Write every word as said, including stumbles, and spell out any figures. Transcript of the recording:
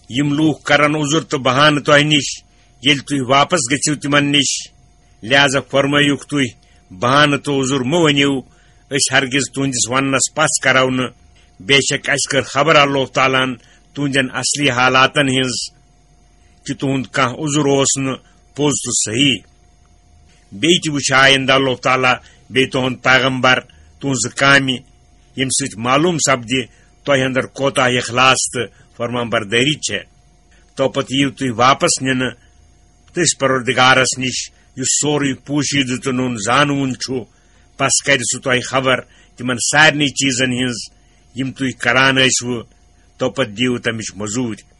یِم لوٗکھ کرن عذر تہٕ بہانہٕ تۄہہِ نِش، ییٚلہِ تُہۍ واپس گٔژھِو تِمن نِش۔ لہذا فرمٲیِوکھ تُہۍ، بہانہٕ تہٕ عذر مہٕ ؤنِو، أسۍ ہرگز تُہنٛدِس وننس پژھ کرو نہٕ۔ بے شک اسہِ کٔر خبر اللہ تعالیٰ ہن تُہنٛدٮ۪ن اصلی حالاتن ہٕنٛز، کہِ تُہنٛد کانٛہہ عذر اوس نہٕ پوٚز تہٕ صحیح۔ بیٚیہِ تہِ وٕچھِ آیندٕ اللہ تعالیٰ بیٚیہِ تُہنٛد پیغمبر تُہنٛزٕ کامہِ، ییٚمہِ سۭتۍ معلوم سپدِ تۄہہِ اندر کوتاہ اخلاص تہٕ فرمان بردٲری چھےٚ۔ تو پتہٕ یِیِو تُہۍ واپس نِنہٕ تٔسۍ پروردگارس نِش، یُس سورُے پوشیدٕ تہٕ نوٚن زانوُن چھُ۔ پس کرِ سُہ تۄہہِ خبر تِمن سارنٕے چیٖزن ہٕنٛز، یِم تُہۍ کران ٲسوٕ۔ تو پتہٕ دِیِو تمِچ مٔزوٗرۍ۔